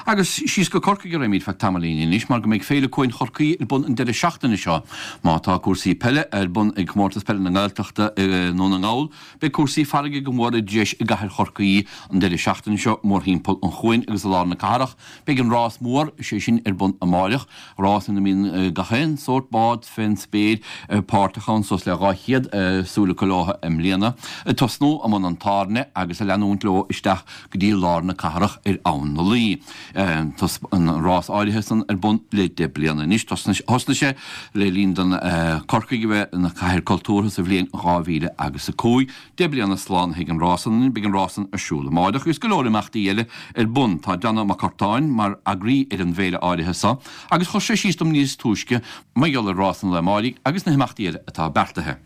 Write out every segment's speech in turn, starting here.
Agus síos go Corcaigh a raghaimid feadh tamaillín anois mar go mbeidh Féile Cuain Chorcaí ar bun an deireadh seachtaine seo. Má tá cúrsaí peile ar bun ag Comórtas Peile na nGaeltachta i nDún na nGall, beidh cúrsaí farraige go mór i dtreis i gcathair Chorcaí an deireadh seachtaine seo mórthimpeall an chuain agus i lár na cathrach. Beidh an rás mór, sé sin, ar bun amáireach, rás ina mbíonn gach aon sórt bád fén spéir páirteach ann, suas le 200 súil acu leo i mbliana, ag tosnú i mBun an Tairne agus ag leanúint leo isteach go dtí lár na cathrach ar Abhainn na Laoi. Tá an rás áirithe san ar bun le 10 bliana anois. Thosnaigh sé le linn don Corcaigh a bheith ina cathair cultúrtha sa bhliain 2000 agus 5. 10 bliana slánaithe ag an rás san. Beidh an rás san ar siúl amáireach agus go leor imeachtaí eile ar bun. Tá Donagh Mac Curtáin mar eagraí ar an bhféile áirithe so agus chuir sé síos dom níos túisce mar gheall ar rás an lae amáirigh agus na himeachtaí eile atá beartaithe.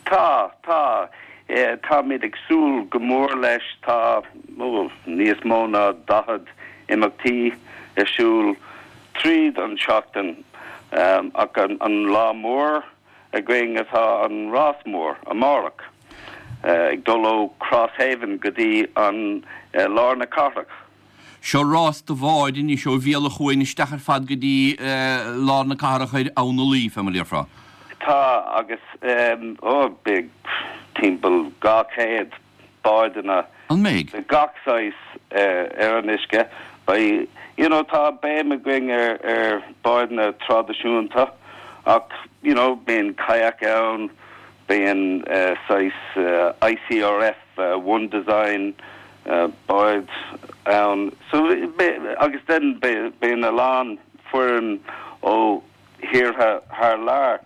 Tá, tá. Táimid ag súil go mór leis. Tá, ó, níos mó ná 40 imeachtaí ar siúl tríd an tseachtain ach an lá mór againn atá an rás mór amárach, ag dul ó Crosshaven go dtí an lár na cathrach. Seo rás do bháid anois ó bhéal an chuain isteach ar fad go dtí lár na cathrach ar Abhainn na Laoi, fé mar a déarfá. Tá, agus ó, beidh timpeall 200 báideanna An mbeidh? de gach saghas ar an uisce. Beidh, you know, tá béim againn ar ar báideanna traidisiúnta ach, you know, bíonn kayak ann, bíonn saghas ICRF One Design báid ann. So, agus then bíonn a lán foireann ó thíortha thar lear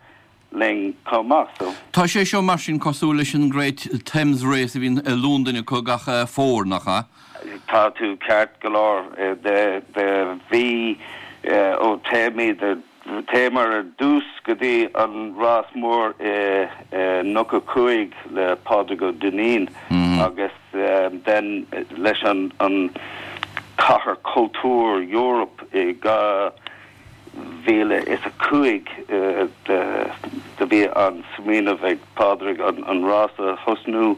linn chomh maith. So. Tá sé seo mar sin cosúil leis an Great Thames Race a bhíonn i Londain acu gach fómhar, nach ea? Tá tú ceart go leor. De bhí ó téimid ar téamar ar dtús go dtí an rás mór i 95 le Pádraig Ó Duinnín agus then leis an an Cathair Cultúir Europe i 2005 do bhí an smaoineamh ag Pádraig an rás a thosnú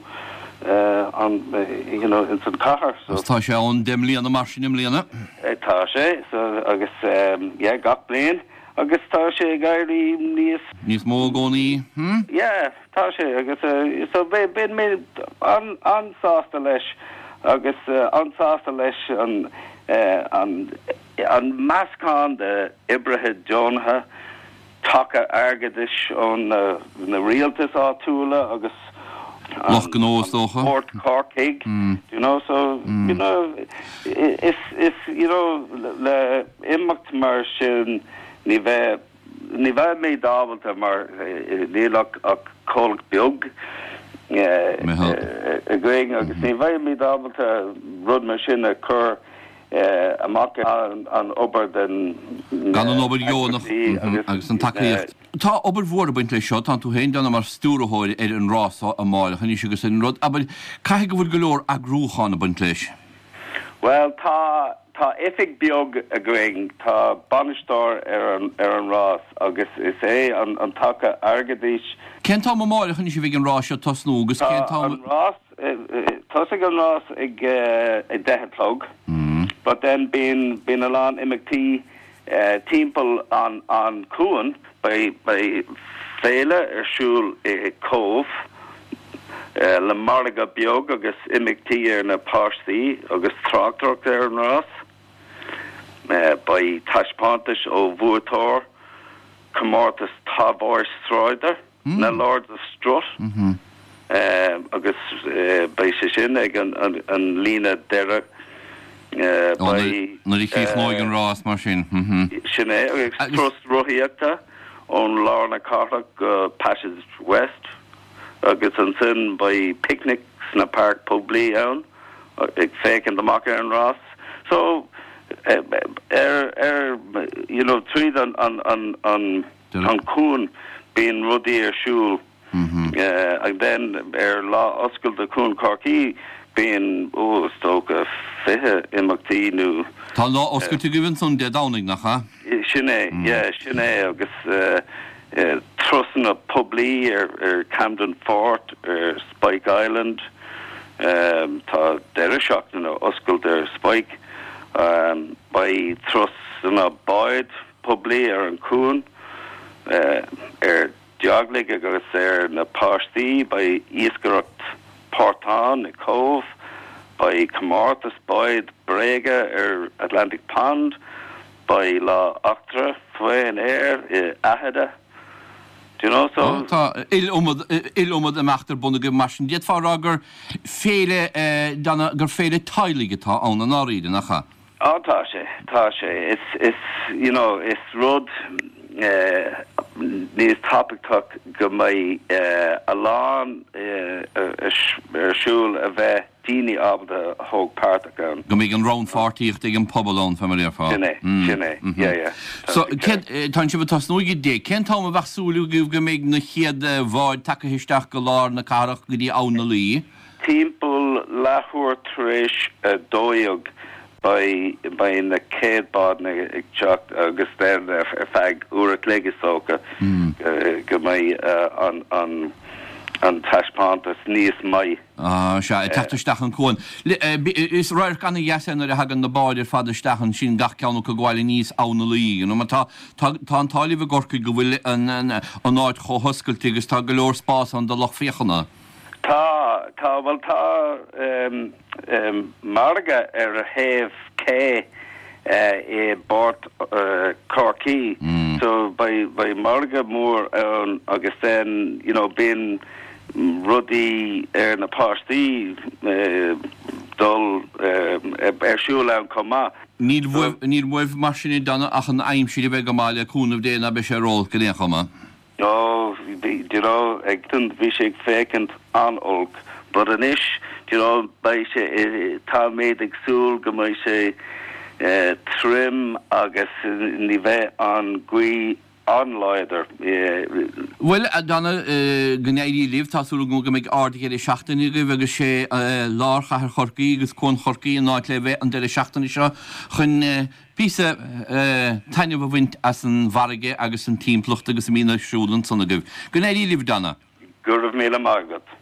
an you know ins an cathair so. Agus tá sé ann 10 mbliana mar sin i mbliana. Tá sé so agus yeah gach bliain agus tá sé ag éirí níos. Níos mó i gcónaí hm? Yeah tá sé agus so bíonn mé an-sásta leis agus an-sásta leis an an An meascán de oibrithe deonacha, taca airgeadais ó na rialtais áitiúla agus an Lucht gnó is dócha. Port Corcaigh, do you know, so, you know, is, is, you know, le imeacht mar sin ní bheidh, Ní bheimid ábalta mar níl ach comhlacht beag againn agus ní bheimid ábalta rud mar sin a chur amach an obair den Gan an obair dheonach agus an tacaíocht. Tá obair mhór ag baint leis seo, tánn tú féin Donagh mar stiúrthóir ar an rás seo amáireach anois agus ar an rud, abair, caithfidh go bhfuil go leor eagrúchán ag baint leis. Bhuel, tá. Tá oifig beag againn, tá bainisteoir ar an ar an rás agus is é an an taca airgeadais. Cén t-am amáireach anois a bheidh an rás seo ag tosnú agus cén t-am. Tá an rás, tosaigh an rás ag a 10 a chlog but then bíonn bíonn a lán imeachtaí timpeall an an cuan. Beidh beidh féile ar siúl i Cóbh le margadh beag agus imeachtaí ar na páistí agus tráchtaireacht ar an rás. Beidh taispeántais ó bhuaiteoir comórtas támhairt sráide, na Lords of Strut, agus beidh sé sin ag an líne deiridh. Beidh. Nuair a chríochnóidh an rás mar sin. Sin é, agus turas rothaíochta ón lár na cathrach go Passage West agus ansin beidh picnic sna páirc poiblí ann ag féachaint amach ar an rás. So ar ar you know tríd an an an an an cuan bíonn rudaí ar siúl. And then ar lá oscailte Chuan Chorcaí bíonn, ó, is dócha 20 imeachtaí nó. Tá an lá oscailte agaibh ansan Dé Domhnaigh, nach ea? Sin é, yeah, sin é agus turasanna poiblí ar Camden Fort, ar Spike Island, tá deireadh seachtaine oscailte ar Spike. Beidh turasanna báid poiblí ar an cuan ar dteaghlaigh agus ar na páistí, beidh iascaireacht portán i Cobh, beidh comórtas báid bréige ar Atlantic Pond, beidh lá eachtra faoin aer i Aghada. Do you know, so. Tá iliomad, iliomad imeacht ar bun agaibh mar sin. D'fhéadfá a rá gur féile, gur féile teaghlaigh atá ann i ndáiríre, nach ea? Á tá sé, tá sé. Is, is, you know, is rud níos tábhachtach go mbeidh a lán ar siúl a bheith daoine ábalta a thóg páirteach ann. Go mbeidh an rannpháirtíocht ag an pobal ann, fé mar a déarfá. Sin é, sin é, yeah, yeah. So, cén, tá sibh ag tosnú ag 10, cén t-am a bheadh súil agaibh go mbeidh na chéad bháid tagtha isteach go lár na cathrach go dtí Abhainn na Laoi? Timpeall leathuair tar éis 12 beidh beidh na chéad bádanna ag teacht agus then ar feadh uair a chloig is dócha go mbeidh an an an taispeántas níos maith. Ah, sea, ag teacht isteach an cuan. Is radharc ana-dheas é nuair a thagann na báid ar fad isteach ansin, gach ceann acu ag gabháil aníos Abhainn na Laoi, you know, mar tá tá tá an t-ádh libh i gCorcaigh go bhfuil an an an áit chomh hoscailte agus tá go leor spás ann do lucht féachana. Tá, tá, bhuel tá margadh ar thaobh cé i bPort Chorcaí so beidh, beidh margadh mór ann agus then you know bíonn rudaí ar na páistí dul ar siúl ann chomh maith. Níl uaibh, níl uaibh mar sin a Donagh ach an aimsir a bheith go maith le cúnamh Dé ná beidh sé ró-olc in aon chuma. Oh, bhí, do you know, ag, bhí sé ag féachaint an-olc, but anois, do you know, beidh sé, táimid ag súil go mbeidh sé tirim agus ní bheidh an ghaoth an-láidir. Bhuel, a Donagh, go n-éirí libh. Tá súil agam go mbeidh ard-dheireadh seachtaine agaibh agus sé lár chathair Chorcaí agus Cuan Chorcaí an áit le bheith an deireadh seachtaine seo chun píosa taitneamh a bhaint as an bhfarraige agus an timpeallacht agus a mbíonn ar siúl ansan agaibh. Go n-éirí libh, Donagh. Go raibh míle maith agat.